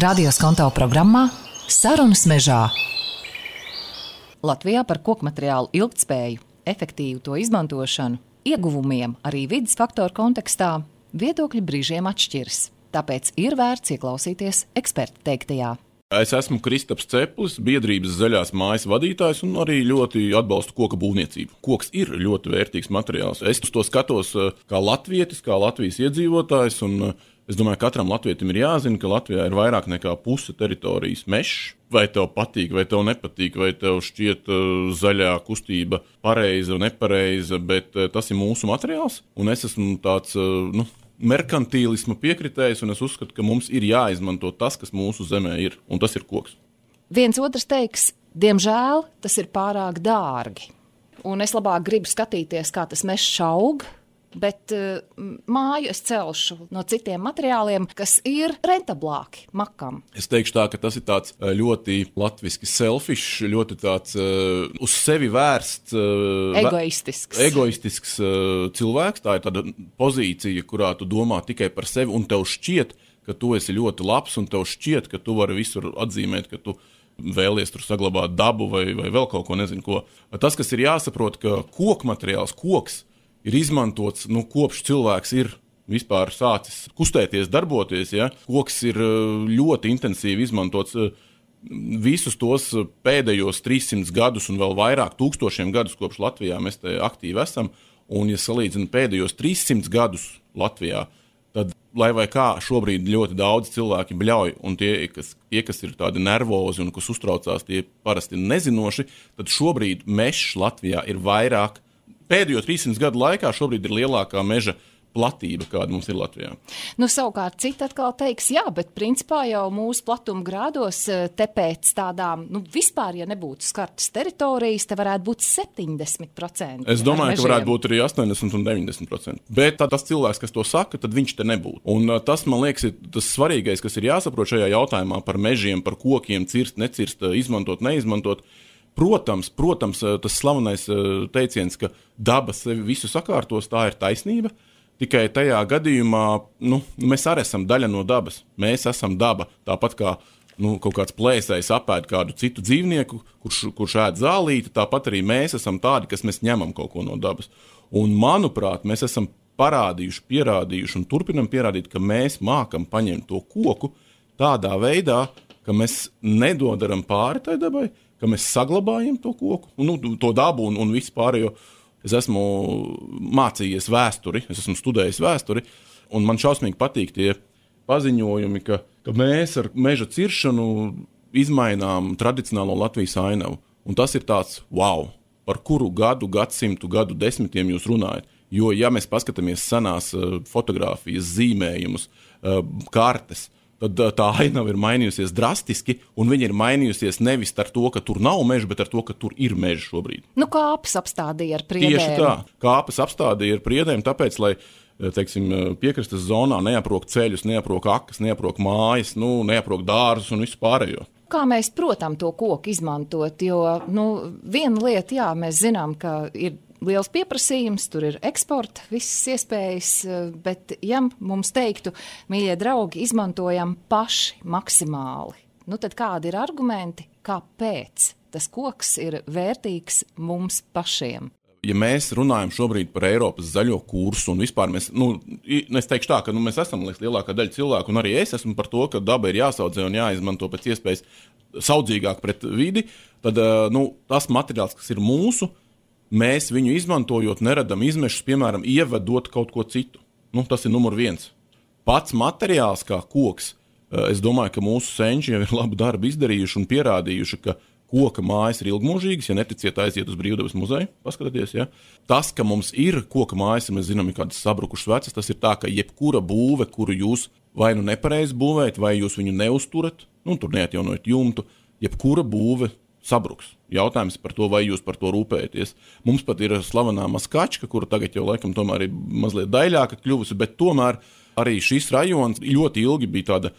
Radio Skonto programmā Sarunas mežā. Latvijā par kokmateriālu ilgtspēju, efektīvu to izmantošanu, ieguvumiem arī vides faktoru kontekstā viedokļi brīžiem atšķiras. Tāpēc ir vērts ieklausīties eksperta teiktajā. Es esmu Kristaps Ceplis, biedrības Zaļās mājas vadītājs un arī ļoti atbalstu koka būvniecību. Koks ir ļoti vērtīgs materiāls. Es uz to skatos kā latvietis, kā Latvijas iedzīvotājs, un es domāju, ka katram latvietim ir jāzina, ka Latvijā ir vairāk nekā puse teritorijas mežs. Vai tev patīk, vai tev nepatīk, vai tev šķiet zaļā kustība pareiza un nepareiza, bet tas ir mūsu materiāls, un es esmu tāds, merkantīlisma piekritējs, un es uzskatu, ka mums ir jāizmanto tas, kas mūsu zemē ir, un tas ir koks. Viens otrs teiks, diemžēl tas ir pārāk dārgi, un es labāk gribu skatīties, kā tas mežs aug, bet māju es celšu no citiem materiāliem, kas ir rentablāki makam. Es teikšu tā, ka tas ir tāds ļoti latviski selfish, ļoti tāds uz sevi vērsts, egoistisks cilvēks. Tā ir tāda pozīcija, kurā tu domā tikai par sevi, un tev šķiet, ka tu esi ļoti labs, un tev šķiet, ka tu vari visur atzīmēt, ka tu vēlies tur saglabāt dabu vai vēl kaut ko, nezinu ko. Tas, kas ir jāsaprot, ka kokmateriāls, koks, ir izmantots, kopš cilvēks ir vispār sācis kustēties, darboties. Ja? Koks ir ļoti intensīvi izmantots visus tos pēdējos 300 gadus un vēl vairāk tūkstošiem gadus, kopš Latvijā mēs te aktīvi esam. Un, ja salīdzinu pēdējos 300 gadus Latvijā, tad, lai vai kā, šobrīd ļoti daudz cilvēki bļauj, un tie, kas ir tādi nervozi un kas uztraucās, tie parasti nezinoši, tad šobrīd mežs Latvijā ir vairāk. Pēdējo 300 gadu laikā šobrīd ir lielākā meža platība, kāda mums ir Latvijā. Savukārt citi atkal teiks, jā, bet principā jau mūsu platuma grādos te pēc tādām, vispār, ja nebūtu skartas teritorijas, te varētu būt 70%. Es domāju, ka varētu būt arī 80 un 90%. Bet tas cilvēks, kas to saka, tad viņš te nebūtu. Un tas, man liekas, ir tas svarīgais, kas ir jāsaprot šajā jautājumā par mežiem, par kokiem, cirst, necirst, izmantot, neizmantot. Protams, tas slavenais teiciens, ka daba sevi visu sakārtos, tā ir taisnība. Tikai tajā gadījumā, mēs arī esam daļa no dabas. Mēs esam daba, tāpat kā kaut kāds plēsējs apēd kādu citu dzīvnieku, kurš ēd zālīti, tāpat arī mēs esam tādi, kas mēs ņemam kaut ko no dabas. Un, manuprāt, mēs esam pierādījuši un turpinam pierādīt, ka mēs mākam paņemt to koku tādā veidā, ka mēs nedodaram pāri tai dabai, ka mēs saglabājam to koku, to dabu un visu pārējo. Es esmu mācījies vēsturi, es esmu studējis vēsturi, un man šausmīgi patīk tie paziņojumi, ka mēs ar meža ciršanu izmainām tradicionālo Latvijas ainavu. Un tas ir tāds, wow, par kuru gadsimtu, gadu desmitiem jūs runājat. Jo, ja mēs paskatāmies senās fotogrāfijas, zīmējumus, kartes, tad tā ainava ir mainījusies drastiski, un viņa ir mainījusies nevis ar to, ka tur nav meža, bet ar to, ka tur ir meža šobrīd. Kāpes apstādīja ar priedēm. Tieši tā, kāpes apstādīja ar priedēm, tāpēc, lai, piekrastes zonā neaprok ceļus, neaprok akas, neaprok mājas, neaprok dārzus un visu pārējo. Kā mēs, protams, to koku izmantot, jo, viena lieta, mēs zinām, ka ir liels pieprasījums, tur ir eksporta, visas iespējas, bet ja mums teiktu, mīļie draugi, izmantojam paši maksimāli, tad kādi ir argumenti, kāpēc tas koks ir vērtīgs mums pašiem? Ja mēs runājam šobrīd par Eiropas zaļo kursu un vispār mēs, es teikšu tā, ka mēs esam lielākā daļa cilvēku, un arī es esmu par to, ka daba ir jāsaudzē un jāizmanto pēc iespējas saudzīgāk pret vidi, tad tas materiāls, kas ir mūsu, mēs viņu izmantojot, neradam izmešus, piemēram, ievedot kaut ko citu. Tas ir numur 1. Pats materiāls kā koks, es domāju, ka mūsu senči jau ir labu darbu izdarījuši un pierādījuši, ka koka mājas ir ilgmūžīgas, ja neticiet, aiziet uz Brīvdabas muzeju, paskatieties, ja. Tas, ka mums ir koka mājas, mēs zinām, ir kādas sabrukušas vecas, tas ir tā, ka jebkura būve, kuru jūs vai nepareizi būvējat, vai jūs viņu neuzturat, tur neatjaunojat jumtu, jebkura būve sabruks. Jautājums par to, vai jūs par to rūpējaties. Mums pat ir slavenā Maskačka, kura tagad jau laikam tomēr ir mazliet daļāka kļuvusi, bet tomēr arī šis rajons ļoti ilgi bija tāda,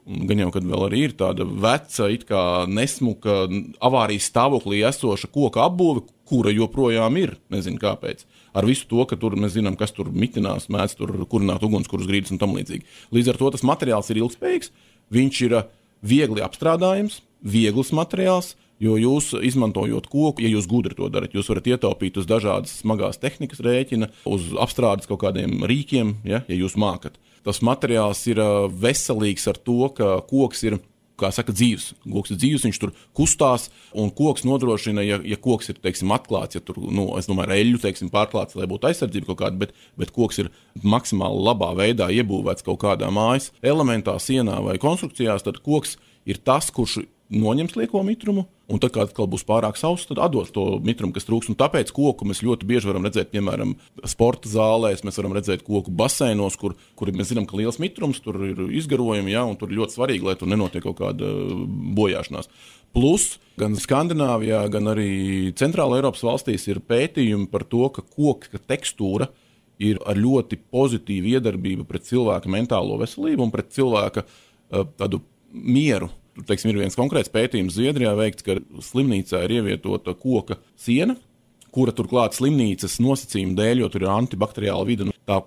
gan jau, kad vēl arī ir tāda veca, it kā nesmuka, avārijas stāvoklī esoša koka apbūve, kura joprojām ir, nezinu kāpēc. Ar visu to, ka tur mēs zinām, kas tur mitinās, mēdz tur kurināt ugunskurus grīdas un tam līdzīgi. Līdz ar to tas materiāls ir ilgspējīgs, viņš ir viegli apstrādājams, viegls materiāls, jo jūs izmantojot koku, ja jūs gudri to darat, jūs varat ietaupīt uz dažādas smagās tehnikas rēķina, uz apstrādes kaut kādiem rīkiem, ja jūs mākat. Tas materiāls ir veselīgs ar to, ka koks ir, kā saka, dzīvs. Koks ir dzīvs, viņš tur kustās, un koks nodrošina, ja koks ir, teiksim, atklāts, ja tur, es domāju, eļļu, teiksim, pārklāts, lai būtu aizsardzība kaut kāda, bet koks ir maksimāli labā veidā iebūvēts kaut kādā mājas elementā, sienā vai konstrukcijās, tad koks ir tas, kurš noņems lieko mitrumu, un tad, kad atkal būs pārāk sauss, tad atdos to mitrumu, kas trūks. Un tāpēc koku mēs ļoti bieži varam redzēt, piemēram, sporta zālēs, mēs varam redzēt koku baseinos, kur mēs zinām, ka liels mitrums, tur ir izgarojumi, un tur ir ļoti svarīgi, lai tur nenotiek kaut kāda bojāšanās. Plus, gan Skandināvijā, gan arī Centrāla Eiropas valstīs ir pētījumi par to, ka koka tekstūra ir ar ļoti pozitīvu iedarbību pret cilvēka mentālo veselību un pret cilvēka tādu mieru. Teiksim, ir viens konkrēts pētījums Zviedrijā veikts, ka slimnīcā ir ievietota koka siena, kura turklāt slimnīcas nosacījuma dēļ, jo tur ir antibakteriāla vide. Tā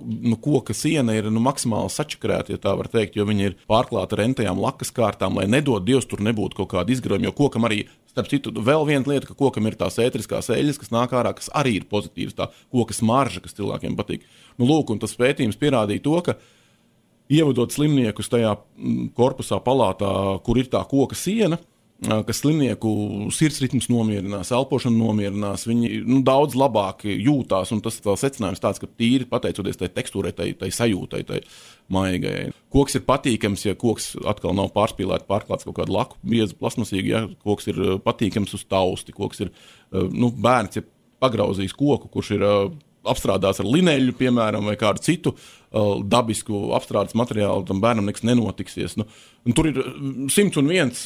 koka siena ir maksimāli sačakarēta, ja tā var teikt, jo viņa ir pārklāta ar rentajām lakas kārtām, lai nedod Dievs tur nebūtu kaut kāda izgarojuma, jo kokam arī, starp citu, vēl viena lieta, ka kokam ir tās ētriskās eļļas, kas nāk ārā, kas arī ir pozitīvas, tā koka smarža, kas cilvēkiem patīk. Lūk, un tas pētījums pierādīja to, ka ievadot slimniekus tajā korpusā palātā, kur ir tā koka siena, kas slimnieku sirdsritms nomierinās, elpošanu nomierinās, viņi daudz labāk jūtās, un tas secinājums tāds, ka tīri pateicoties tai tekstūrai, tai sajūtai, tai maigajai. Koks ir patīkams, ja koks atkal nav pārklāts kaut kādu laku, biezu, plasmasīgu, ja koks ir patīkams uz tausti, koks ir, bērns, ja pagrauzīs koku, kurš ir apstrādāts ar lineļu, piemēram, vai kādu citu dabisku apstrādes materiālu, tam bērnam nekas nenotiksies. Tur ir 101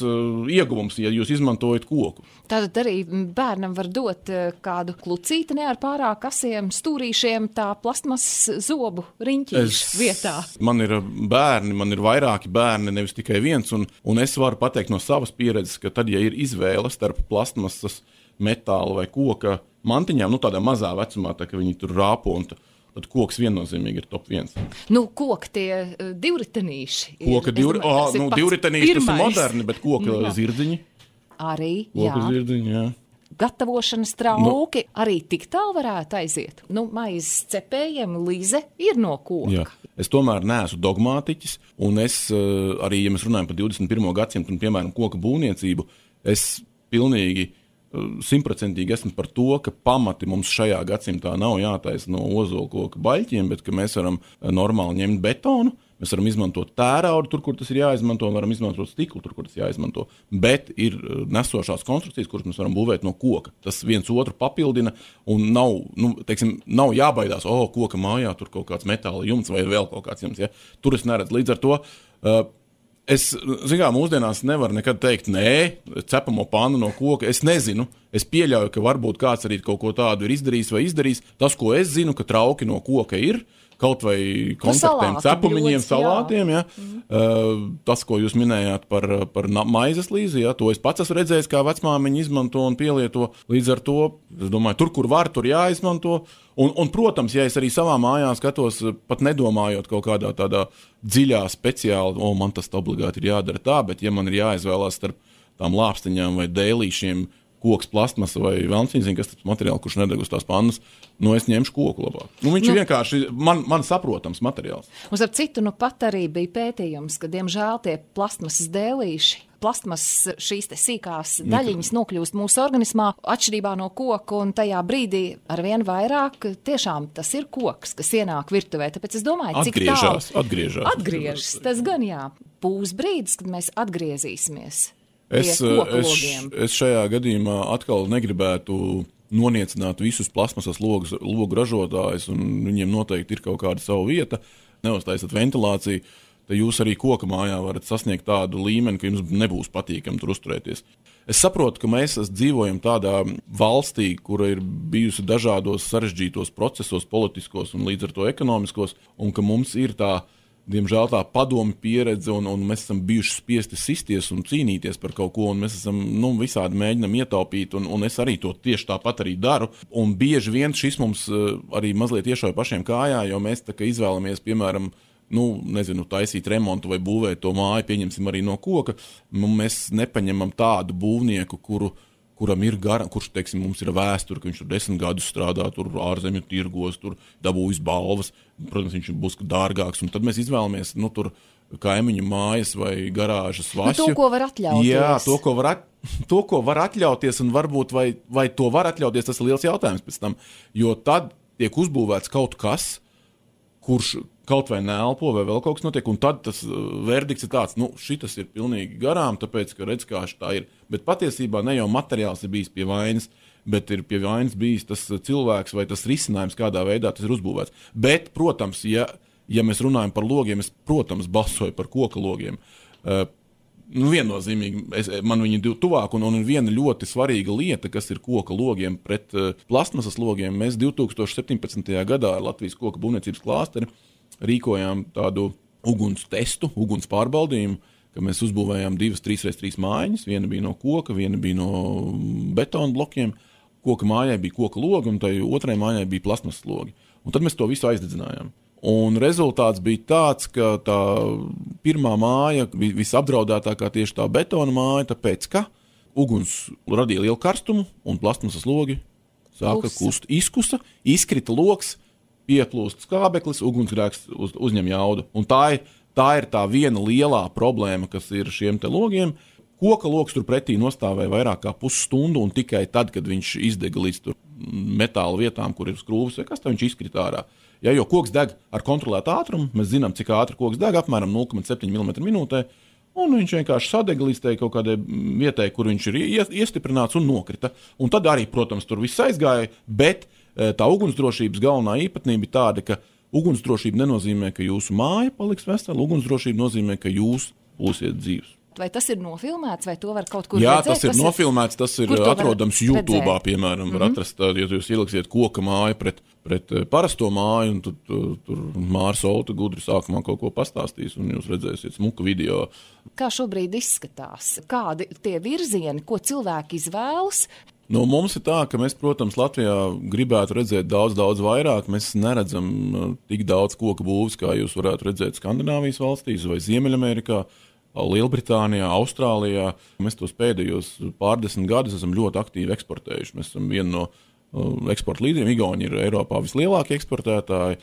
ieguvums, ja jūs izmantojat koku. Tātad arī bērnam var dot kādu klucīti ne ar pārāk asiem stūrīšiem, tā plastmas zobu riņķīšu vietā. Man ir bērni, man ir vairāki bērni, nevis tikai viens, un es varu pateikt no savas pieredzes, ka tad, ja ir izvēle starp plastmasas, metāla vai koka mantiņām, tādā mazā vecumā, tā, ka viņi tur rāpo, un tad koks viennozīmīgi ir top 1. Koka tie divritenīši. Divritenīši tas ir moderni, bet koka zirdziņi. Arī, koka zirdziņi, jā. Gatavošanas trauki arī tik tālu varētu aiziet. Maizes cepējiem līze ir no koka. Jā. Es tomēr neesmu dogmātiķis, un es arī, ja mēs runājam par 21. gadsimtu un, piemēram, koka būvniecību, es pilnīgi 100% esmu par to, ka pamati mums šajā gadsimtā nav jātaisa no ozolkoka baļķiem, bet ka mēs varam normāli ņemt betonu, mēs varam izmantot tēraudu tur, kur tas ir jāizmanto, un varam izmantot stiklu tur, kur tas jāizmanto. Bet ir nesošās konstrukcijas, kuras mēs varam būvēt no koka. Tas viens otru papildina, un nav jābaidās, koka mājā tur kaut kāds metāla jumts vai vēl kaut kāds jumts. Ja? Tur es neredzu. Līdz ar to es, mūsdienās nevaru nekad teikt, nē, cepamo pannu no koka. Es nezinu, es pieļauju, ka varbūt kāds arī kaut ko tādu ir izdarījis vai izdarījis. Tas, ko es zinu, ka trauki no koka ir, kaut vai kontaktiem, cepumiņiem, salātiem. Ja? Tas, ko jūs minējāt par maizes līzi, ja? To es pats esmu redzējis, kā vecmāmiņa izmanto un pielieto. Līdz ar to, es domāju, tur, kur var, tur jāizmanto. Un, protams, ja es arī savā mājā skatos, pat nedomājot kaut kādā tādā dziļā, speciāli, man tas obligāti ir jādara tā, bet ja man ir jāizvēlās starp tām lāpstiņām vai dēlīšiem, koks, plastmasa vai velncīns, kas tas materiāls, kurš nedeg uz tās pannas, es ņemšu koku labāk. Viņš ir vienkārši man saprotams materiāls. Uz ar citu, pat arī bija pētījums, ka, diemžēl, tie plastmasas dēlīši, plastmasas šīs te sīkās daļiņas nokļūst mūsu organismā atšķirībā no koka, un tajā brīdī arvien vairāk tiešām tas ir koks, kas ienāk virtuvē. Tāpēc es domāju, cik tālu atgriežas. Tas gan būs brīdis, kad mēs atgriezīsimies. Es šajā gadījumā atkal negribētu noniecināt visus plasmasas logu ražotājus, un viņiem noteikti ir kaut kāda sava vieta. Neuztaisat ventilāciju, tad jūs arī koka mājā varat sasniegt tādu līmeni, ka jums nebūs patīkami tur uzturēties. Es saprotu, ka mēs dzīvojam tādā valstī, kura ir bijusi dažādos sarežģītos procesos, politiskos un līdz ar to ekonomiskos, un ka mums ir diemžēl tā padomi pieredze, un mēs esam bijuši spiesti sisties un cīnīties par kaut ko, un mēs esam visādi mēģinam ietaupīt, un es arī to tieši tāpat arī daru. Un bieži vien šis mums arī mazliet iešauja pašiem kājā, jo mēs tā kā izvēlamies, piemēram, taisīt remontu vai būvēt to māju, pieņemsim arī no koka, mēs nepaņemam tādu būvnieku, kuram ir kurš, teiksim, mums ir vēsture, ka viņš tur 10 gadus strādā, tur ārzemju tirgos, tur dabūjis balvas, protams, viņš būs dārgāks, un tad mēs izvēlamies, tur kaimiņu mājas vai garāžas vašķu. To, ko var atļauties. Jā, to, ko var atļauties, un varbūt vai to var atļauties, tas ir liels jautājums pēc tam, jo tad tiek uzbūvēts kaut kas, kurš kaut vai neelpo, vai vēl kaut kas notiek, un tad tas verdikts ir tāds, šitas ir pilnīgi garām, tāpēc, ka redz, kā tā ir. Bet patiesībā ne jau materiāls ir bijis pie vainas, bet ir pie vainas bijis tas cilvēks vai tas risinājums, kādā veidā tas ir uzbūvēts. Bet, protams, ja mēs runājam par logiem, es, protams, balsoju par koka logiem. Viennozīmīgi, man viņi ir tuvāk, un viena ļoti svarīga lieta, kas ir koka logiem pret plastmasas logiem, mēs 2017. gadā ar Latvijas koka būvniecības klāsteri rīkojām tādu uguns testu, uguns pārbaudījumu, ka mēs uzbūvējām 2 3x3 mājiņas, viena bija no koka, viena bija no betona blokiem, koka mājai bija koka logi, un tai otrai mājai bija plastmasas logi. Un tad mēs to visu aizdedzinājām. Un rezultāts bija tāds, ka tā pirmā māja visapdraudētākā tieši tā betona māja, tāpēc, ka uguns radīja lielu karstumu, un plastmasas logi sāka kust izkusa, izkrita loks, pieplūst skābeklis, ugunsgrēks uzņem jaudu. Un tā ir tā viena lielā problēma, kas ir šiem te logiem. Koka loks tur pretī nostāvēja vairāk kā pusstundu, un tikai tad, kad viņš izdega līdz tur metāla vietām, kur ir skrūvis, vai kas tā viņš izkrita ārā. Ja, jo koks deg ar kontrolētu ātrumu, mēs zinām, cik ātri koks deg, apmēram 0,7 mm minūtē, un viņš vienkārši sadega līdz kaut kādai vietai, kur viņš ir iestiprināts un nokrita. Un tad arī, protams, tur viss aizgāja, bet tā ugunsdrošības galvenā īpatnība ir tāda, ka ugunsdrošība nenozīmē, ka jūsu māja paliks vesela, ugunsdrošība nozīmē, ka jūs būsiet dzīvs. Vai tas ir nofilmēts, vai to var kaut kur redzēt? Jā, tas ir nofilmēts, tas ir atrodams YouTube'ā, piemēram, var atrast, ja jūs ieliksiet koka māju pret parasto māju, un tur Mārs Olta gudri sākumā kaut ko pastāstīs, un jūs redzēsiet smuku video. Kā šobrīd izskatās? Kādi tie virzieni, ko cilvēki izvēlas? Mums ir tā, ka mēs, protams, Latvijā gribētu redzēt daudz vairāk. Mēs neredzam tik daudz koka būvs, kā jūs varētu redzēt Skandināvijas valstīs vai Ziemeļamerikā, Lielbritānijā, Austrālijā. Mēs tos pēdējos pārdesmit gadus esam ļoti aktīvi eksportējuši. Mēs esam viena no eksporta līderiem. Igauni ir Eiropā vislielākie eksportētāji,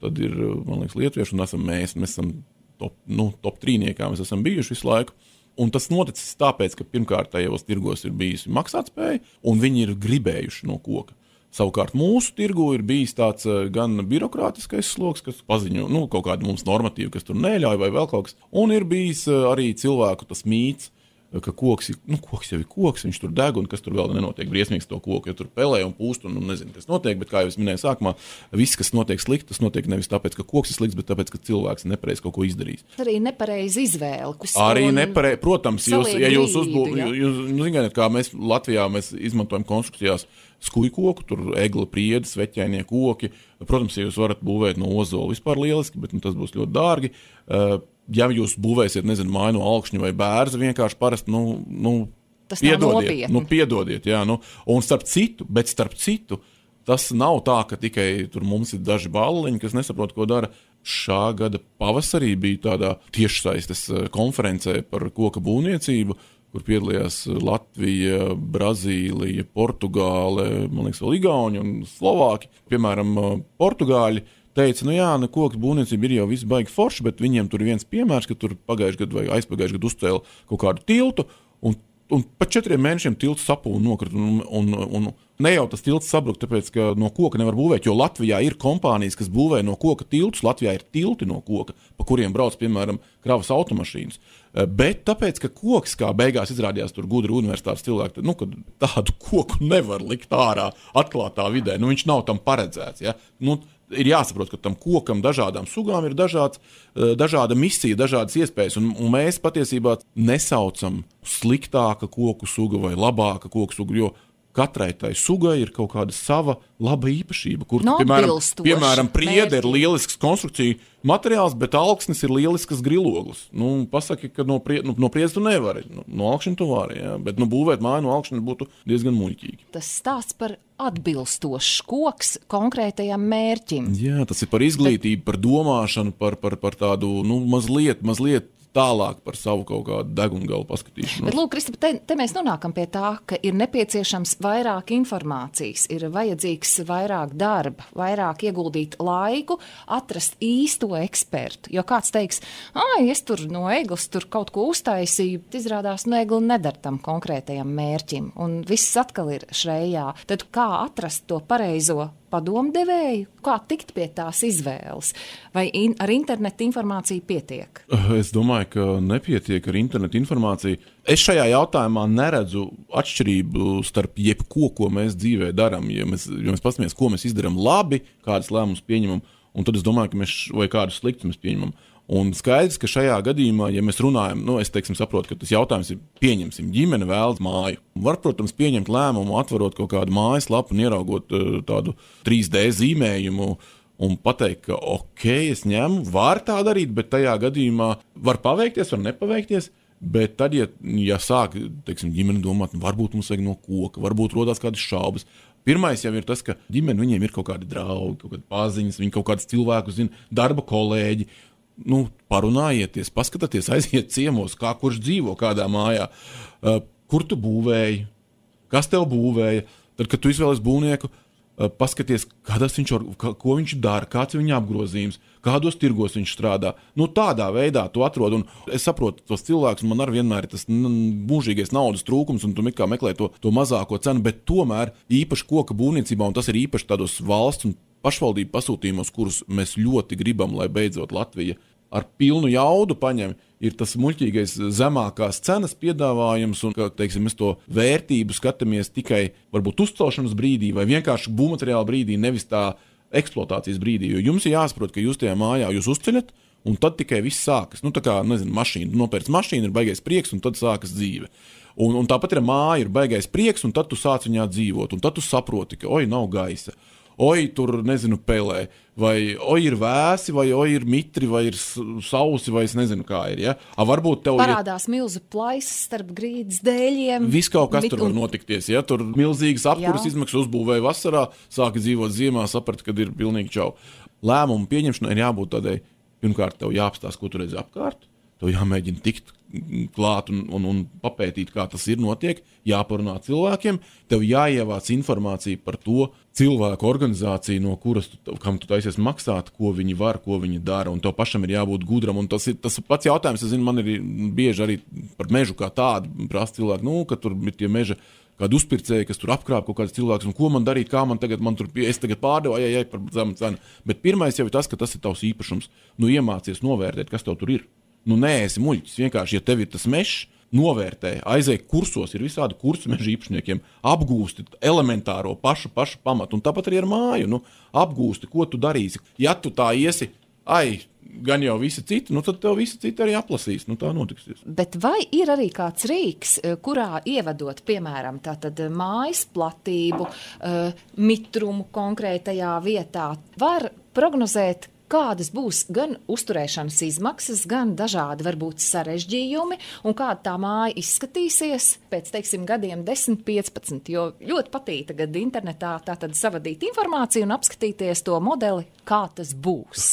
tad ir, man liekas, lietuvieši, un esam mēs esam top 3-niekā, mēs esam bijuši visu laiku. Un tas noticis tāpēc, ka pirmkārt tajos tirgos ir bijusi maksātspēja, un viņi ir gribējuši no koka. Savukārt mūsu tirgu ir bijis tāds gan birokrātiskais sloks, kas paziņo kaut kādu mums normatīvu, kas tur neļauj vai vēl kaut kas, un ir bijis arī cilvēku tas mīts, ka koks jau ir koks, viņš tur deg, un kas tur vēl nenotiek briesmīgs to koku, jo tur pelē un pūst, un nezinu, kas notiek, bet kā jau es minēju sākumā, viss, kas notiek slikti, tas notiek nevis tāpēc, ka koks ir slikts, bet tāpēc, ka cilvēks nepareizi kaut ko izdarīs. Arī nepareizi izvēle. Arī nepareizi, protams, ja jūs zināt, kā mēs Latvijā izmantojam konstrukcijās skujkoku, tur egla priedi, sveķainie koki, protams, ja jūs varat būvēt no ozola vispār lieliski, bet tas būs ļoti dārgi. Ja jūs būvēsiet, māju no alkšņa vai bērza, vienkārši parasti, piedodiet, jā, un starp citu, tas nav tā, ka tikai tur mums ir daži balliņi, kas nesaprot, ko dara. Šā gada pavasarī bija tādā tiešsaistes konferencē par koka būvniecību, kur piedalījās Latvija, Brazīlija, Portugāle, man liekas, vēl Igauni un Slovāki. Piemēram, Portugāļi teica, koka būvniecība ir jau viss baigi forši, bet viņiem tur ir viens piemērs, ka tur pagājušajā gadu vai aizpagājušajā gadu uzcēla kaut kādu tiltu, un pa 4 mēnešiem tilts sapūla un nokrita, un ne jau tas tilts sabruk, tāpēc, ka no koka nevar būvēt, jo Latvijā ir kompānijas, kas būvē no koka tiltus, Latvijā ir tilti no koka, pa kuriem brauc, piemēram, kravas automašīnas. Bet tāpēc, ka koks, kā beigās izrādījās tur gudri universitātes cilvēki, ka tādu koku nevar likt ārā atklātā vidē, viņš nav tam paredzēts, ja? Ir jāsaprot, ka tam kokam dažādām sugām ir dažāda misija, dažādas iespējas, un mēs patiesībā nesaucam sliktāka koku suga vai labāka koku suga, jo katrai tai sugai ir kaut kāda sava laba īpašība, kur, piemēram, priede ir lielisks konstrukcija materiāls, bet alksnis ir lielisks griloglis. Pasaki, ka no priedes tu nevari, no alkšņa tu vari, jā, bet būvēt māju no alkšņa būtu diezgan muļķīgi. Tas stāsts par atbilstošs koks konkrētajam mērķim. Jā, tas ir par izglītību, par domāšanu, par tādu, mazliet tālāk par savu kaut kādu degungalu paskatīšanu. Bet, lūk, Kristapa, te mēs nonākam pie tā, ka ir nepieciešams vairāk informācijas, ir vajadzīgs vairāk darba, vairāk ieguldīt laiku, atrast īsto ekspertu. Jo kāds teiks, es tur no eglis tur kaut ko uztaisīju, bet izrādās, egli nedara tam konkrētajam mērķim, un viss atkal ir šrējā. Tad kā atrast to pareizo padomdevēju, kā tikt pie tās izvēles? Vai ar internetu informāciju pietiek? Es domāju, ka nepietiek ar internetu informāciju. Es šajā jautājumā neredzu atšķirību starp jebko, ko mēs dzīvē darām. Ja mēs paskatāmies, ko mēs izdarām labi, kādas lēmumus pieņemam, un tad es domāju, ka vai kādus sliktus mēs pieņemam. Un skaidrs, ka šajā gadījumā, ja mēs runājam, es saprotu, ka tas jautājums ir pieņemsim, ģimene vēlas māju. Var, protams, pieņemt lēmumu, atverot kaut kādu mājaslapu un ieraugot tādu 3D zīmējumu un pateikt, ka es ņemu, var tā darīt, bet tajā gadījumā var paveikties, var nepaveikties. Bet tad, ja sāk, ģimene domāt, varbūt mums vajag no koka, varbūt rodās kādas šaubas. Pirmais jau ir tas, ka ģimene viņiem ir kaut kādi draugi, kaut kādi paziņas, viņi kaut kādus cilvēkus zina, darba kolēģi. Parunājieties, paskatieties, aiziet ciemos, kā kurš dzīvo kādā mājā, kur tu būvēji, kas tev būvēja. Tad, kad tu izvēlies būvnieku, paskaties, ko viņš dara, kāds ir viņa apgrozījums, kādos tirgos viņš strādā. Tādā veidā tu atrod, un es saprotu tos cilvēkus, un man arī vienmēr ir tas mūžīgais naudas trūkums, un tu meklē to mazāko cenu, bet tomēr īpaši koka būvniecībā, un tas ir īpaši tādos valsts un pašvaldību pasūtījumos, kurus mēs ļoti gribam, lai beidzot Latvija ar pilnu jaudu paņem, ir tas muļķīgais zemākās cenas piedāvājums, un, mēs to vērtību skatāmies tikai varbūt uzcelšanas brīdī vai vienkārši būvmateriāla brīdī, nevis tā eksploatācijas brīdī, jo jums ir jāsaprot, ka jūs tajā mājā jūs uzceļat, un tad tikai viss sākas. Mašīna, nopērc mašīnu, ir baigais prieks, un tad sākas dzīve. Un tāpat ir māja, ir baigais prieks, un tad tu sāc viņā dzīvot, un tad tu saproti, ka nav gaisa. Tur, pelē, vai ir vēsi, vai ir mitri, vai ir sausi, vai es nezinu, kā ir, ja? Varbūt tev parādās milzu plaisas starp grīdas dēļiem. Viss kaut kas tur var notikties, ja? Tur milzīgas apkuras izmaksas uzbūvēja vasarā, sāka dzīvot ziemā, saprat, kad ir pilnīgi čau. Lēmumu pieņemšanai ir jābūt tādai, pirmkārt, tev jāapstāst, ko tu redzi apkārt, tev jāmēģina tikt klāt un papētīt, kā tas ir notiek, jāparunā cilvēkiem, tev jāievāc informācija par to cilvēku organizāciju, no kuras kam tu taisies maksāt, ko viņi var, ko viņi dara, un tev pašam ir jābūt gudram, un tas pats jautājums, es zinu, man ir bieži arī par mežu kā tādu prasa cilvēku, ka tur ir tie meža kādi uzpircēji, kas tur apkrāp kaut kāds cilvēks, un ko man darīt, kā man tagad, es tagad pārdevu, par zemu cenu, bet pirmais jau ir tas, ka tas ir tavs īpašums, iemācies novērtēt, kas tev tur ir. Neesi muļķis, vienkārši, ja tev ir tas mežs, novērtē, aizēj kursos, ir visādi kursi meža īpašniekiem, apgūsti elementāro pašu pamatu, un tāpat arī ar māju, apgūsti, ko tu darīsi. Ja tu tā iesi, gan jau visi citi, tad tev visi citi arī aplasīs, tā notiksies. Bet vai ir arī kāds rīks, kurā ievedot, piemēram, tātad mājas platību, mitrumu konkrētajā vietā, var prognozēt, kādas būs gan uzturēšanas izmaksas, gan dažādi varbūt sarežģījumi, un kāda tā māja izskatīsies pēc, gadiem 10, 15, jo ļoti patīk tagad internetā tātad savadīt informāciju un apskatīties to modeli, kā tas būs,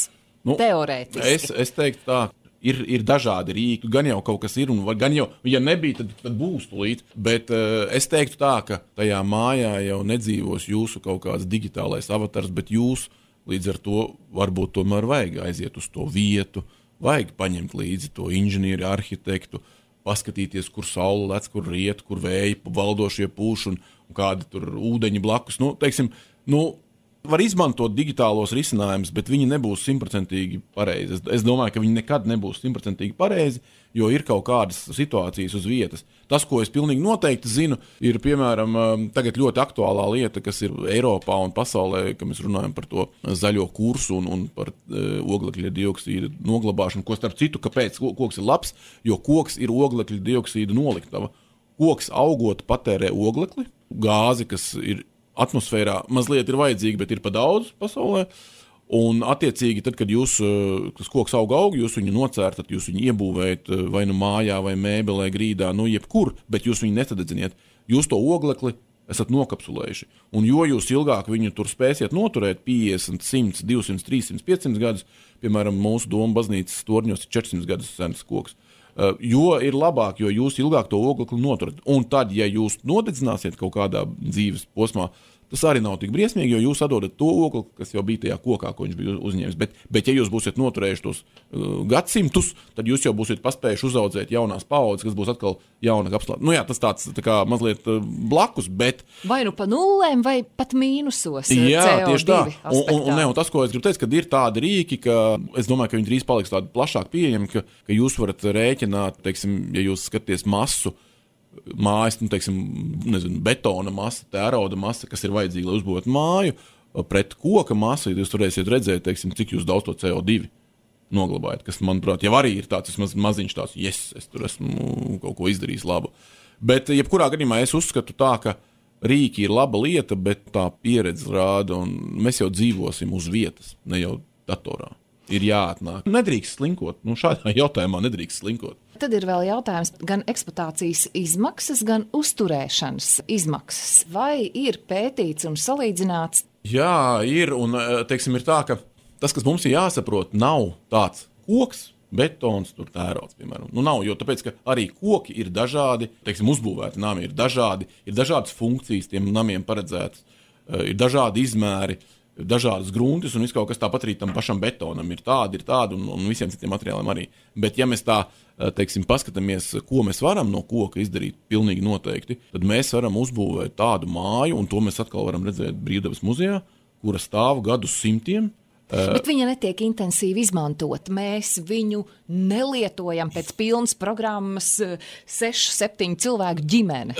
teorētiski. Es teiktu tā, ir dažādi rīki, gan jau kaut kas ir, un gan jau, ja nebija, tad būs tulīt, bet es teiktu tā, ka tajā mājā jau nedzīvos jūsu kaut kāds digitālais avatars, bet jūs līdz ar to varbūt tomēr vajag aiziet uz to vietu, vajag paņemt līdzi to inženieri, arhitektu, paskatīties, kur saule lec, kur riet, kur vēji valdošie pūš un kādi tur ūdeņi blakus. Var izmantot digitālos risinājumus, bet viņi nebūs 100% pareizi. Es domāju, ka viņi nekad nebūs 100% pareizi, jo ir kaut kādas situācijas uz vietas. Tas, ko es pilnīgi noteikti zinu, ir, piemēram, tagad ļoti aktuālā lieta, kas ir Eiropā un pasaulē, ka mēs runājam par to zaļo kursu un par oglekļa dioksīda noglabāšanu, ko starp citu, kāpēc koks ir labs, jo koks ir oglekļa dioksīda noliktava. Koks augot patērē oglekli, gāzi, kas ir atmosfērā, mazliet ir vajadzīga, bet ir pa daudz pasaulē. Un, attiecīgi, tad, kad tas koks aug, jūs viņu nocērtat, jūs viņu iebūvējat vai nu mājā, vai mēbelē, grīdā, jebkur, bet jūs viņu nesadedziniet. Jūs to oglekli esat nokapsulējuši. Un jo jūs ilgāk viņu tur spēsiet noturēt 50, 100, 200, 300, 500 gadus, piemēram, mūsu Doma baznīcas torņos ir 400 gadus sens koks, jo ir labāk, jo jūs ilgāk to oglekli noturat. Un tad, ja jūs nodedzināsiet kaut kādā dzīves posmā, tas arī nav tik briesmīgi, jo jūs atdodat to ogli, kas jau bija tajā kokā, ko viņš bija uzņēmis. Bet ja jūs būsiet noturējuši tos gadsimtus, tad jūs jau būsiet paspējuši uzaudzēt jaunās paaudzes, kas būs atkal jauna kapsulā. Tas tāds tā kā mazliet blakus, bet... Vai nu pa nullēm, vai pat mīnusos jā, CO2 tieši tā. Un Tas, ko es gribu teikt, kad ir tādi rīki, ka es domāju, ka viņi drīz paliks tādi plašāk pieejami, ka jūs varat rēķināt, teiksim, ja jūs skaties masu, mājas, betona masa, tērauda masa, kas ir vajadzīga, lai uzbūvētu māju, pret koka masu, jūs varēsiet redzēt, cik jūs daudz to CO2 noglabājat, kas, manuprāt, jau arī ir tāds maziņš tāds, es tur esmu kaut ko izdarījis labu. Bet, jebkurā gadījumā es uzskatu tā, ka rīki ir laba lieta, bet tā pieredze rāda, un mēs jau dzīvosim uz vietas, ne jau datorā. Ir jāatnāk. Nedrīkst slinkot. Šādā jautājumā nedrīkst slinkot. Tad ir vēl jautājums gan eksploatācijas izmaksas, gan uzturēšanas izmaksas. Vai ir pētīts un salīdzināts? Jā, ir. Un, ir tā, ka tas, kas mums ir jāsaprot, nav tāds koks, betons, tērauds, piemēram. Nav, jo tāpēc, ka arī koki ir dažādi, uzbūvēti nami ir dažādas funkcijas tiem namiem paredzētas, ir dažādi izmēri, dažādas gruntis un viss kaut kas, tāpat arī tam pašam betonam ir tādi, un visiem citiem materiāliem arī. Bet ja mēs tā, paskatāmies, ko mēs varam no koka izdarīt pilnīgi noteikti, tad mēs varam uzbūvēt tādu māju, un to mēs atkal varam redzēt Brīvdabas muzejā, kura stāv gadus simtiem. Bet viņa netiek intensīvi izmantot. Mēs viņu nelietojam pēc pilnas programmas 6-7 cilvēku ģimene.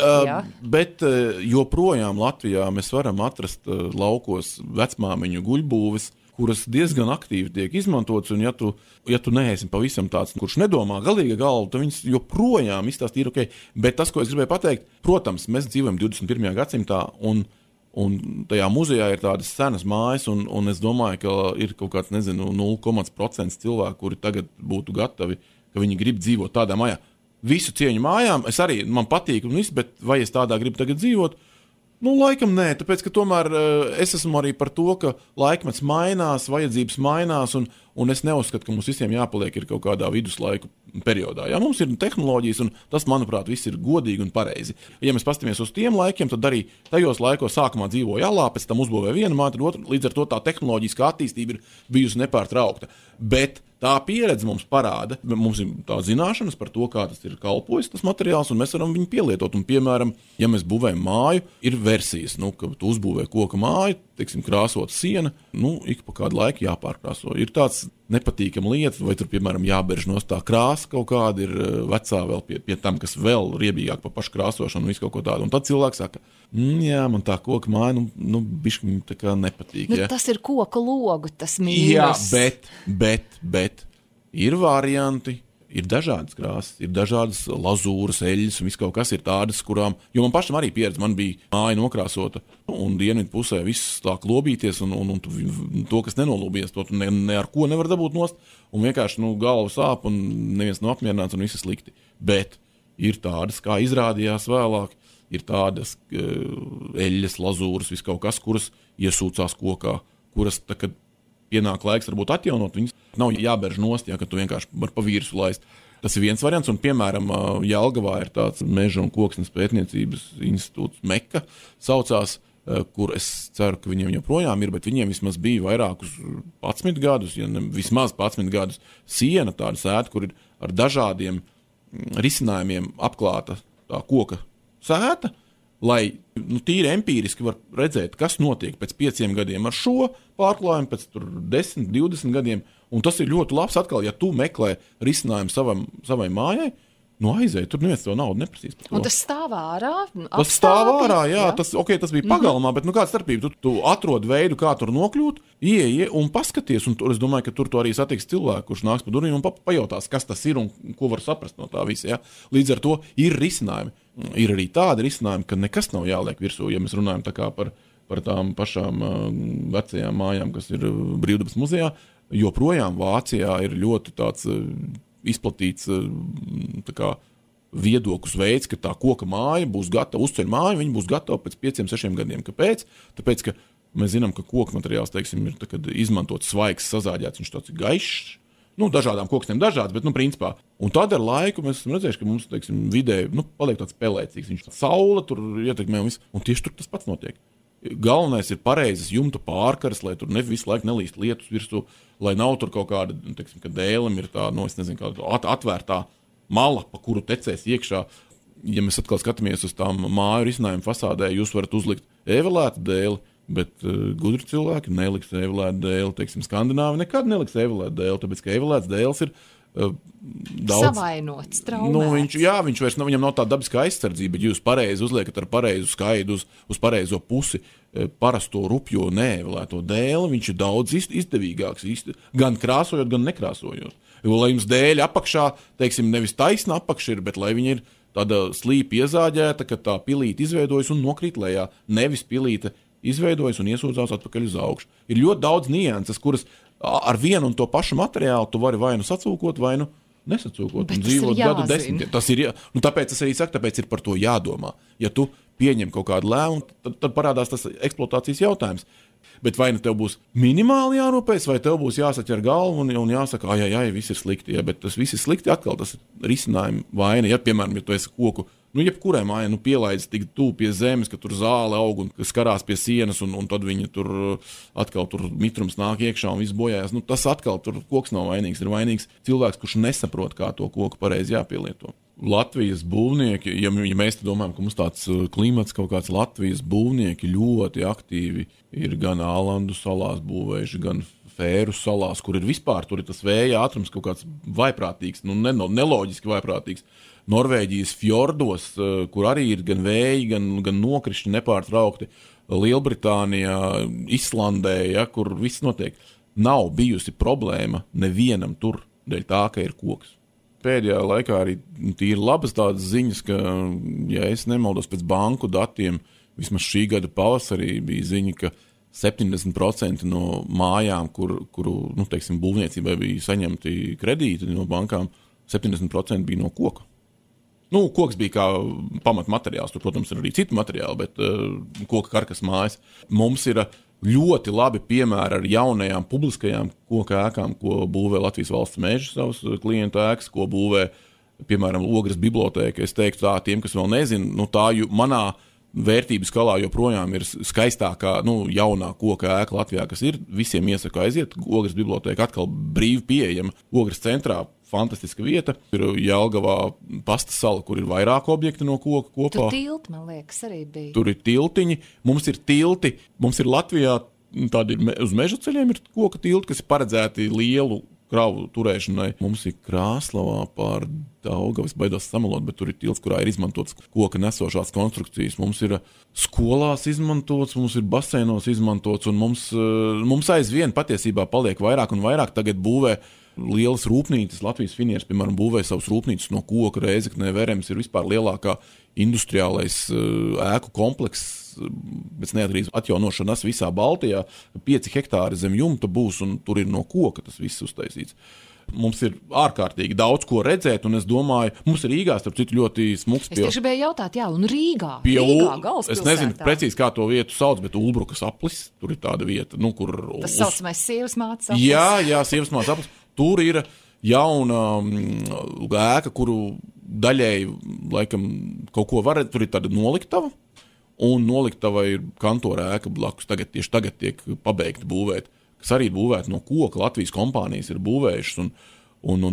Bet joprojām Latvijā mēs varam atrast laukos vecmāmiņu guļbūves, kuras diezgan aktīvi tiek izmantotas, un ja tu neesi pavisam tāds, kurš nedomā galīga galva, tad viņas joprojām izstāst ir ok. Bet tas, ko es gribēju pateikt, protams, mēs dzīvojam 21. gadsimtā, un tajā muzejā ir tādas senas mājas, un es domāju, ka ir kaut kāds, 0,% cilvēku, kuri tagad būtu gatavi, ka viņi grib dzīvot tādā mājā. Visu cieņu mājām, man patīk, bet vai es tādā gribu tagad dzīvot? Laikam nē, tāpēc, ka tomēr es esmu arī par to, ka laikmets mainās, vajadzības mainās, un es neuzskatu, ka mums visiem jāpaliek ir kaut kādā viduslaiku periodā. Jā, mums ir tehnoloģijas, un tas, manuprāt, viss ir godīgi un pareizi. Ja mēs pastamies uz tiem laikiem, tad arī tajos laikos sākumā dzīvoja alā, pēc tam uzbūvēja vienu māju, tad otru, līdz ar to tā tehnoloģiskā attīstība ir bijusi nepārtraukta. Bet tā pieredze mums parāda, mums ir tā zināšanas par to, kā tas ir kalpojis, tas materiāls, un mēs varam viņu pielietot. Un, piemēram, ja mēs būvējam māju, ir versijas, ka tu uzbūvē koka māju, krāsot siena, ik pa kādu laiku jāpārkrāso. Ir tāds nepatīkama lieta, vai tur, piemēram, jāberž nost tā krāsa kaut kāda ir vecā vēl pie tam, kas vēl riebīgāk pa pašu krāsošanu un visu kaut ko tādu. Un tad cilvēks saka, jā, man tā koka māja, bišķi tā kā nepatīk. Tas ir koka logu, tas mīnus. Jā, bet ir varianti. Ir dažādas krāsas, ir dažādas lazūras, eļļas un viss kaut kas ir tādas, kurām, jo man pašam arī pieredze, man bija māja nokrāsota un dienvidu pusē viss tā klobīties un to, kas nenolūbies, to ne ar ko nevar dabūt nost un vienkārši, galva sāp un neviens nav apmierināts un viss ir slikti. Bet ir tādas, kā izrādījās vēlāk, ir tādas eļļas, lazūras, viss kaut kas, kuras iesūcās kokā, kuras, kad pienāk laiks varbūt atjaunot, viņas nav jāberž nost, ja, ka tu vienkārši var pa vīrusu laist. Tas ir viens variants, un, piemēram, Jelgavā ir tāds meža un koksnes pētniecības institūts Meka saucās, kur es ceru, ka viņiem joprojām ir, bet viņiem vismaz bija vairākus 11 gadus, ja ne vismaz 11 gadus siena, tāda sēta, kur ir ar dažādiem risinājumiem apklāta tā koka sēta, lai tīri empīriski var redzēt, kas notiek pēc 5 gadiem ar šo pārklājumu, pēc 10, 20 gadiem, un tas ir ļoti labs atkal, ja tu meklē risinājumu savai mājai, aizēj, tur neviens to naudu neprasīs. Un tas stāv ārā? Tas stāv ārā, jā. Tas bija pagalmā, bet kāda starpība? Tu atrod veidu, kā tur nokļūt, ieej un paskaties, un es domāju, ka tur to arī satiks cilvēku, kurš nāks pa durvīm un pajautās, kas tas ir un ko var saprast no tā visa. Ja? Līdz ar to ir risinājumi. Ir arī tādi risinājumi, ka nekas nav jāliek virsū, ja mēs runājam tā kā par tām pašām vecajām mājām, kas ir Brīvdabas muzejā, joprojām Vācijā ir ļoti tāds izplatīts tā kā viedoklis veids, ka tā koka māja būs gatava, uzceļ māju, viņa būs gatava pēc 5-6 gadiem. Kāpēc? Tāpēc, ka mēs zinām, ka koka materiāls, teiksim, ir izmantots svaigs, sazāģēts, viņš tāds ir gaišs. Dažādām kokstiem dažāds, bet, principā. Un tad ar laiku mēs esam redzējuši, ka mums, teiksim, vidē, paliek tāds pelēcīgs. Viņš saule tur ietekmē un viss. Un tieši tur tas pats notiek. Galvenais ir pareizes jumta pārkaras, lai tur visu laiku nelīst lietus virsū, lai nav tur kaut kāda, teiksim, ka dēlim ir tā, es nezinu, kāda atvērtā mala, pa kuru tecēs iekšā. Ja mēs atkal skatāmies uz tām māju risinājumu fasādē, jūs varat uzlikt evelētu dēli, bet gudri cilvēki neliks evelētu dēli. Teiksim, Skandināvi nekad neliks evelētu dēli, tāpēc, ka evelēts dēls ir daudz savainots, traumēts. Viņš vairs viņam nav tāda dabiska aizsardzība, bet jūs pareizi uzliekat ar pareizu skaidu uz pareizo pusi parasto rupjo neevelēto dēli, viņš ir daudz izdevīgāks, gan krāsojot, gan nekrāsojot. Jo, lai jums dēļ apakšā, teiksim, nevis taisna apakša ir, bet lai viņa ir tāda slīpa iezāģēta, ka tā pilīte izveidojas un nokrīt lejā, nevis pilīte izveidojas un iesūdzās atpakaļ uz augšu. Ir ļoti daudz nianses, kuras ar vienu un to pašu materiālu tu vari vai nu sacūkot, vai nu nesacūkot. Bet un dzīvot gadu desmitiem. Tas ir, tāpēc es arī saku, tāpēc ir par to jādomā. Ja tu pieņem kaut kādu lēmumu, tad parādās tas eksploatācijas jautājums. Bet vai nu tev būs minimāli jārūpēs, vai tev būs jāsaķer galvu un jāsaka, ai, viss ir slikti. Ja, bet tas viss ir slikti, atkal tas ir risinājuma vaina. Ja, piemēram, ja tu esi koku, jebkurai mājai pielaidis tik tuvu pie zemes, ka tur zāle aug un skarās pie sienas, un tad viņa tur atkal tur mitrums nāk iekšā un viss bojājas. Tas atkal tur koks nav vainīgs. Ir vainīgs cilvēks, kurš nesaprot, kā to koku pareizi jāpielieto. Latvijas būvnieki, ja mēs domājam, ka mums tāds klimats kaut kāds, Latvijas būvnieki ļoti aktīvi ir gan Ālandu salās būvējuši, gan Fēru salās, kur ir vispār, tur ir tas vēja ātrums kaut kāds vaiprātīgs, neloģiski vaiprātīgs. Norvēģijas fjordos, kur arī ir gan vēji, gan nokrišņi nepārtraukti. Lielbritānijā, Islandē, kur viss notiek. Nav bijusi problēma nevienam tur, dēļ tā, ka ir koks. Pēdējā laikā arī tīri labas tādas ziņas, ka, ja es nemaldos pēc banku datiem, vismaz šī gada pavasarī bija ziņa, ka 70% no mājām, kuru teiksim, būvniecībai bija saņemti kredīti no bankām, 70% bija no koka. Koks bija kā pamatmateriāls, tur, protams, ir arī citi materiāli, bet koka karkas mājas. Mums ir ļoti labi piemēri ar jaunajām publiskajām koka ēkām, ko būvē Latvijas valsts meži savus klientu ēkas, ko būvē, piemēram, Ogres bibliotēka. Es teiktu tā, tiem, kas vēl nezina, tā manā vērtības skalā joprojām ir skaistākā, jaunā koka ēka Latvijā, kas ir. Visiem iesaku aiziet. Ogres bibliotēka atkal brīvi pieejama. Ogres centrā fantastiska vieta. Ir Jelgavā pasta sala, kur ir vairāk objekti no koka kopā. Tur tilti, man liekas, arī bija. Tur ir tiltiņi. Mums ir tilti. Mums ir Latvijā tādi uz meža ceļiem ir koka tilti, kas ir paredzēti lielu kravu turēšanai. Mums ir Krāslavā pār Daugavas, baidos samalot, bet tur ir tilts, kurā ir izmantots koka nesošās konstrukcijas. Mums ir skolās izmantots, mums ir baseinos izmantots, un mums aizvien patiesībā paliek vairāk un vairāk. Tagad būvē lielas rūpnīcas, Latvijas finieris, piemēram, būvē savus rūpnīcas no koka, Rēzeknē, Verems ir vispār lielākā industriālais ēku komplekss, bet neatkarīgs atjaunošanas visā Baltijā. 5 hektāri zem jumta būs, un tur ir no koka tas viss uztaisīts. Mums ir ārkārtīgi daudz ko redzēt, un es domāju, mums ir Rīgā, starp citu, ļoti smuks. Es tieši gribēju jautāt, un Rīgā galvaspilsētā. Es nezinu precīzi, kā to vietu sauc, bet Ulbrukas aplis, tur ir tāda vieta, kur... Tas saucamais sievas mātes aplis. Jā, sievas mātes aplis. Tur ir jauna ēka, kuru daļēji, laikam, kaut ko var, tur ir tāda noliktava, un noliktava ir kantora ēka blakus, tieši tagad tiek pabeigta būvēt, kas arī ir būvēta no koka, Latvijas kompānijas ir būvējušas, un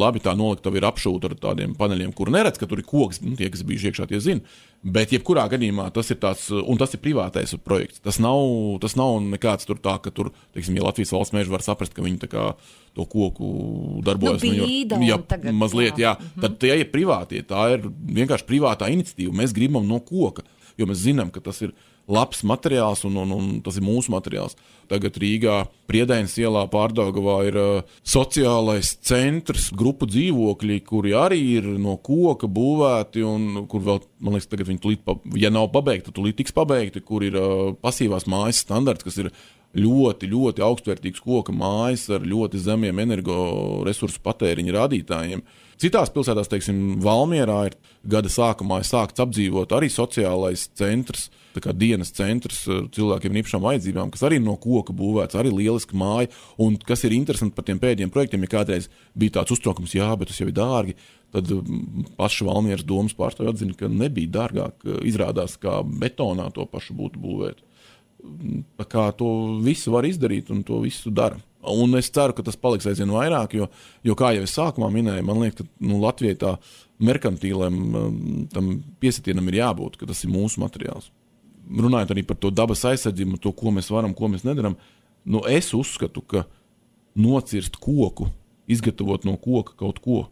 labi tā noliktava ir apšūta ar tādiem paneļiem, kur neredz, ka tur ir koks, tie, kas bijuši iekšā, tie zina, bet jebkurā gadījumā tas ir tāds, un tas ir privātais projekts, tas nav nekāds tur tā, ka tur, teiksim, ja Latvijas valsts meži var saprast, ka viņi tā kā to koku darbojas. Tagad, mazliet, jā. Tad tie ir privātie, tā ir vienkārši privātā iniciatīva, mēs gribam no koka. jo mēs zinām, ka tas ir labs materiāls un tas ir mūsu materiāls. Tagad Rīgā Priedainas ielā Pārdaugavā ir sociālais centrs, grupu dzīvokļi, kuri arī ir no koka būvēti un kur vēl, man liekas, tagad viņi tulīt, ja nav pabeigti, tad tulīt tiks pabeigti, kur ir pasīvās mājas standarts, kas ir ļoti, ļoti augstvērtīgs koka mājas ar ļoti zemiem energoresursu patēriņa rādītājiem. Citās pilsētās, teiksim, Valmierā ir gada sākumā sākts apdzīvot arī sociālais centrs, tā kā dienas centrs cilvēkiem ar īpašām vajadzībām, kas arī no koka būvēts, arī lieliski māja, un kas ir interesanti par tiem pēdējiem projektiem, ja kādreiz bija tāds uztraukums, jā, bet tas jau ir dārgi, tad paša Valmieras domas pārstāvji atzina, ka nebija dārgāk, izrādās, kā betonā to pašu būtu būvēt. Tā kā to visu var izdarīt un to visu dara. Un es ceru, ka tas paliks aizvien vairāk, jo kā jau es sākumā minēju, man liekas, ka Latvijai tā merkantīlēm tam piesitienam ir jābūt, ka tas ir mūsu materiāls. Runājot arī par to dabas aizsardzību, to, ko mēs varam, ko mēs nedaram, es uzskatu, ka nocirst koku, izgatavot no koka kaut ko,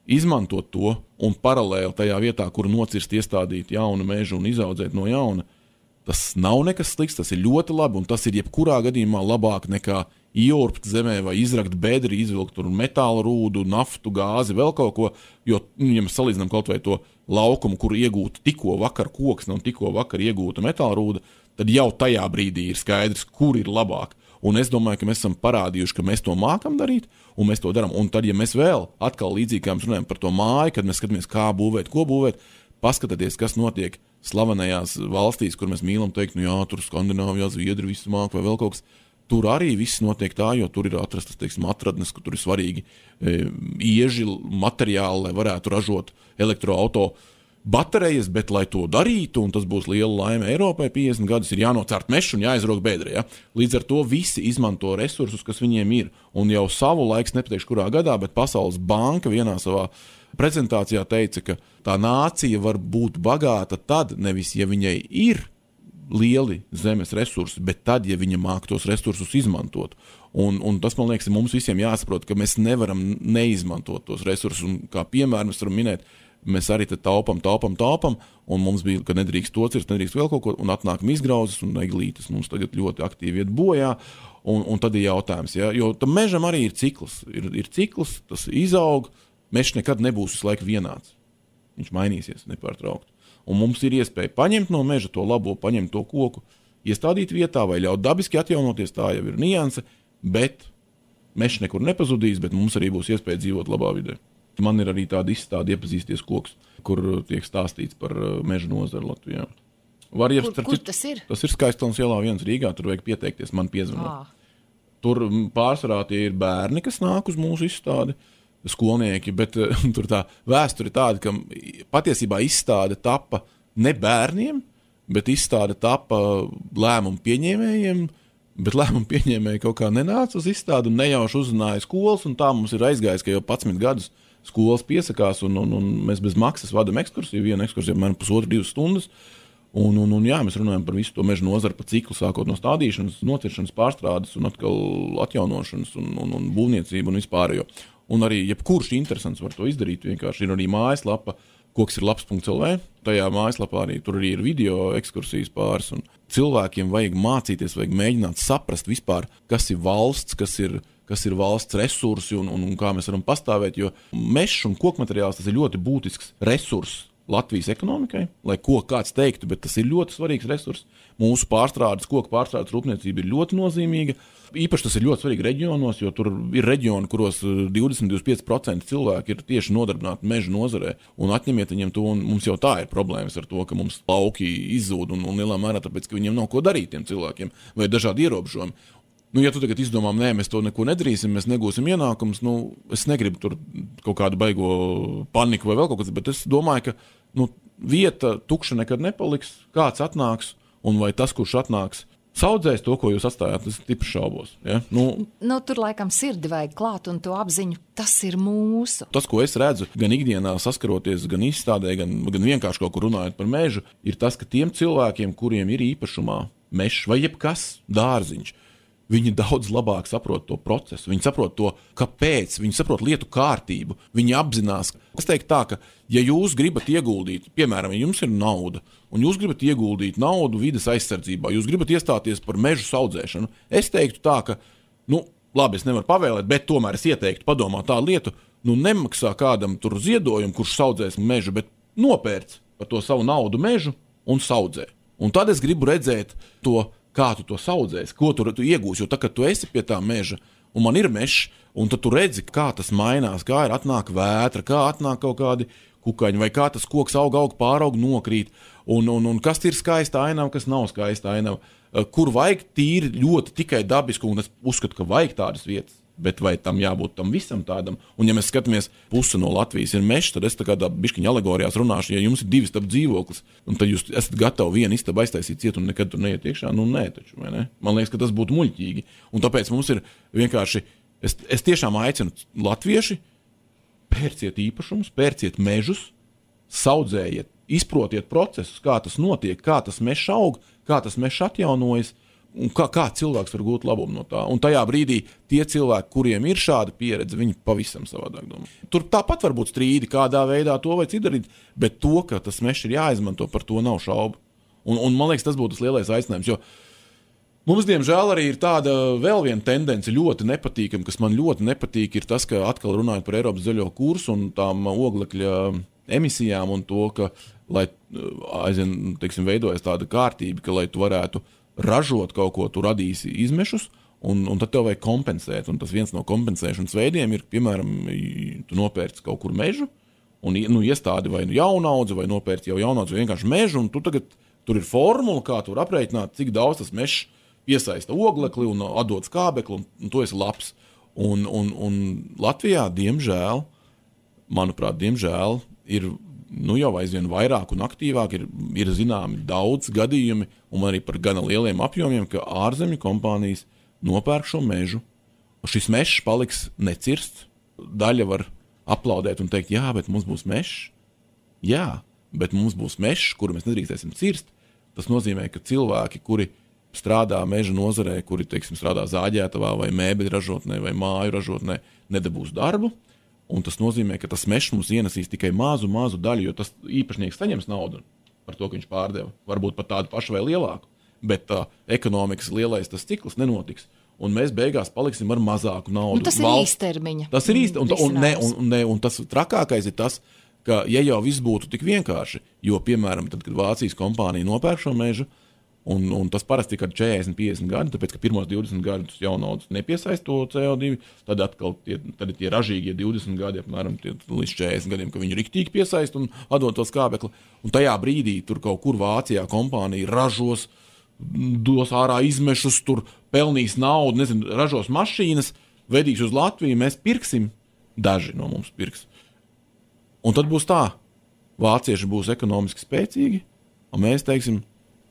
izmantot to un paralēli tajā vietā, kur nocirst, iestādīt jaunu mežu un izaudzēt no jauna, tas nav nekas slikts, tas ir ļoti labi, un tas ir jebkurā gadījumā labāk nekā ieurbt zemē vai izrakt bedri, izvilkt tur metāla rūdu, naftu, gāzi, vēl kaut ko, jo, ja mēs salīdzinām kaut vai to laukumu, kur iegūta tikko vakar koksne un tikko vakar iegūta metāla rūda, tad jau tajā brīdī ir skaidrs, kur ir labāk. Un es domāju, ka mēs esam parādījuši, ka mēs to mākam darīt, un mēs to darām. Un tad, ja mēs vēl atkal līdzīgi, kā mēs runājam par to māju, kad mēs skatāmies, kā būvēt, ko būvēt, paskatieties, kas notiek slavenajās valstīs, kur mēs mīlam teikt, jā, tur Skandināvijā, Zviedri visu māk vai vēl kaut kas. Tur arī viss notiek tā, jo tur ir atrastas, teiksim, atradnes, ka tur ir svarīgi ieži materiāli, lai varētu ražot elektroauto baterijas, bet, lai to darītu, un tas būs liela laime Eiropai, 50 gadus ir jānocērt mežs un jāizrok bedre. Ja? Līdz ar to visi izmanto resursus, kas viņiem ir, un jau savu laiks, nepateikšu kurā gadā, bet Pasaules banka vienā savā prezentācijā teica, ka tā nācija var būt bagāta tad, nevis, ja viņai ir lieli zemes resursi, bet tad, ja viņa māk tos resursus izmantot. Un tas, man liekas, mums visiem jāsaprot, ka mēs nevaram neizmantot tos resursus, un kā piemēram mēs varam minēt, mēs arī te taupam, un mums bija, ka nedrīkst to cirst, nedrīkst vēl kaut ko, un atnākam izgrauzes, un eglītes mums tagad ļoti aktīvi iet bojā, un tad ir jautājums, ja? Jo tam mežam arī ir cikls, ir cikls, tas izaug, mežs nekad nebūs visu laiku vienāds. Viņš mainīsies nepārtraukt. Un mums ir iespēja paņemt no meža to labo, paņemt to koku, iestādīt vietā vai ļaut dabiski atjaunoties, tā jau ir nianse, bet mežs nekur nepazudīs, bet mums arī būs iespēja dzīvot labā vidē. Man ir arī tāda izstāde iepazīsties koks, kur tiek stāstīts par meža nozaru Latvijā. Kur tas ir? Tas ir Skaistalnes ielā 1 Rīgā, tur vajag pieteikties, man piezvanot. Tur pārsvarā tie ir bērni, kas nāk uz mūsu izstādi, skolnieki, bet tur tā vēsture ir tāda, ka patiesībā izstāde tapa ne bērniem, bet izstāde tapa lēmumu pieņēmējiem, bet lēmumu pieņēmēji kaut kā nenāca uz izstādi un nejauši uzrunāja skolas, un tā mums ir aizgājis, ka jau 11 gadus skolas piesakās, un mēs bez maksas vadam ekskursiju, viena ekskursija man 1,5–2 stundas, un jā, mēs runājam par visu to meža nozaru pa ciklu, sākot no stādīšanas, nociršanas, pārstrādes un atkal atjaunošanas un būvniecību un vispārējo. Un arī jebkurš interesants var to izdarīt, vienkārši ir arī mājaslapa, koks-ir-labs.lv, tajā mājaslapā arī tur arī ir video ekskursijas pāris, un cilvēkiem vajag mācīties, vajag mēģināt saprast vispār, kas ir valsts, kas ir valsts resursi un kā mēs varam pastāvēt, jo mežs un kokmateriāls tas ir ļoti būtisks resurss Latvijas ekonomikai, lai ko kāds teiktu, bet tas ir ļoti svarīgs resurss. Mūsu koku pārstrādes rūpniecība ir ļoti nozīmīga. Īpaši tas ir ļoti svarīgi reģionos, jo tur ir reģioni, kuros 20–25% cilvēki ir tieši nodarbināti meža nozarē, un atņemiet viņiem to, un mums jau tā ir problēmas ar to, ka mums lauki izzūd un lielā mērā tāpēc, ka viņiem nav ko darīt tiem cilvēkiem, vai dažādi ierobežojumi. Ja tu tagad izdomām, nē, mēs to neko nedarīsim, mēs negūsim ienākumus, es negribu tur kaut kādu baigo paniku vai vēl kaut kas, bet es domāju, ka vieta tukša nekad nepaliks, kāds atnāks, un vai tas, kurš atnāks, saudzēs to, ko jūs atstājāt, tas tipi šaubos. Ja? Tur laikam sirdi vajag klāt un to apziņu, tas ir mūsu. Tas, ko es redzu, gan ikdienā saskaroties, gan izstādē, gan vienkārši kaut kur runājot par mežu, ir tas, ka tiem cilvēkiem, kuriem ir īpašumā mežs vai jebkas dārziņš, viņi daudz labāk saprot to procesu, viņi saprot to, kāpēc, viņi saprot lietu kārtību, viņi apzinās. Es teiktu tā, ka, ja jūs gribat ieguldīt, piemēram, ja jums ir nauda, un jūs gribat ieguldīt naudu vides aizsardzībā, jūs gribat iestāties par mežu audzēšanu, es teiktu tā, ka, labi, es nevaru pavēlēt, bet tomēr es ieteiktu padomāt tādu lietu, nemaksā kādam tur ziedojumu, kurš audzēs mežu, bet nopērc par to savu naudu mežu un audzē. Un tad es gribu redzēt to, kā tu to audzēsi, ko tu iegūsi, jo tā, kad tu esi pie tā meža, un man ir mežs, un tad tu redzi, kā tas mainās, kā ir atnāk vētra, kā atnāk kaut kādi kukaņi, vai kā tas koks aug, pāraug, nokrīt, un kas ir skaista ainava, kas nav skaista ainava, kur vajag tīri ļoti tikai dabisku, un es uzskatu, ka vajag tādas vietas. Bet vai tam jābūt tam visam tādam? Un ja mēs skatāmies, puse no Latvijas ir mežs, tad es tā kā bišķiņa alegorijās runāšu, ja jums ir 2 istabu dzīvoklis, un tad jūs esat gatavi 1 istabu aiztaisīt ciet un nekad tur neiet iekšā, nē taču, vai ne? Man liekas, ka tas būtu muļķīgi. Un tāpēc mums ir vienkārši, es tiešām aicinu latvieši, pērciet īpašumus, pērciet mežus, audzējiet, izprotiet procesus, kā tas notiek, kā tas mežs aug, kā tas mežs atjaunojas, un kā cilvēks var gūt labumu no tā. Un tajā brīdī tie cilvēki, kuriem ir šāda pieredze, viņi pavisam savādāk domā. Tur tāpat var būt strīdi, kādā veidā to vai citu darīt, bet to, ka tas mežs ir jāizmanto, par to nav šaubu. Un man liekas, tas būtu tas lielais aicinājums, jo mums, diemžēl, arī ir tāda vēl viena tendence ļoti nepatīkama, kas man ļoti nepatīk, ir tas, ka atkal runājot par Eiropas zaļo kursu un tām oglekļa emisijām un to, ka, lai aizvien, teiksim, veidojas tāda kārtība, ka, lai tu varētu ražot kaut ko, tu radīsi izmešus, un tad tev vajag kompensēt. Un tas viens no kompensēšanas veidiem ir, piemēram, tu nopērci kaut kur mežu, un iestādi vai jaunaudzi, vai nopērci jau jaunaudzi, vai vienkārši mežu, un tu tagad, tur ir formula, kā tu var aprēķināt, cik daudz tas mežs piesaista oglekli un atdod skābekli, un tu esi labs. Un Latvijā, diemžēl, manuprāt, ir jau aizvien vairāk un aktīvāk ir zināmi daudz gadījumi, un arī par gana lieliem apjomiem, ka ārzemju kompānijas nopērk šo mežu. Šis mežs paliks necirsts. Daļa var aplaudēt un teikt, jā, bet mums būs mežs. Jā, bet mums būs mežs, kuru mēs nedrīkstēsim cirst. Tas nozīmē, ka cilvēki, kuri strādā meža nozarē, kuri, teiksim, strādā zāģētavā vai mēbeļu ražotnē vai māju ražotnē, nedabūs darbu. Un tas nozīmē, ka tas mežs mums ienesīs tikai mazu daļu, jo tas īpašnieks saņems naudu par to, ka viņš pārdeva. Varbūt pat tādu pašu vai lielāku, bet ekonomikas lielais tas cikls nenotiks. Un mēs beigās paliksim ar mazāku naudu. Tas ir īstermiņa. Tas ir īstermiņa. Un tas trakākais ir tas, ka ja jau viss būtu tik vienkārši, jo, piemēram, tad, kad Vācijas kompānija nopērk šo mežu, un tas parasti ir 40-50 gadi, tāpēc, ka pirmos 20 gadus jaunaudas nepiesaist to CO2, tad atkal tad ir tie ražīgie 20 gadi, apmēram līdz 40 gadiem, ka viņi riktīgi piesaist un atdod to skābekli. Un tajā brīdī tur kaut kur Vācijā kompānija ražos, dos ārā izmešus, tur pelnīs naudu, ražos mašīnas, vedīs uz Latviju, mēs pirksim, daži no mums pirks. Un tad būs tā, vācieši būs ekonomiski spēcīgi, un mēs teiksim,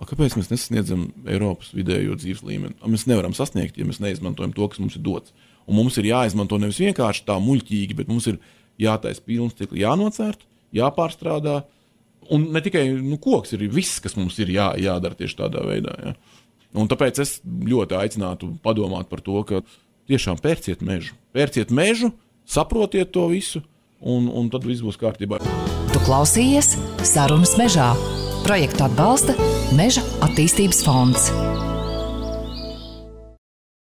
kāpēc mēs nesasniedzam Eiropas vidējo dzīves līmeni? Mēs nevaram sasniegt, ja mēs neizmantojam to, kas mums ir dots. Un mums ir jāizmanto nevis vienkārši tā muļķīgi, bet mums ir jātaisa pilns cikli, jānocērt, jāpārstrādā. Un ne tikai koks ir viss, kas mums ir jādara tieši tādā veidā. Ja? Un tāpēc es ļoti aicinātu padomāt par to, ka tiešām pērciet mežu, saprotiet to visu, un tad viss būs kārtībā. Tu klausījies Sarunas mežā. Projektu atbalsta Meža attīstības fonds.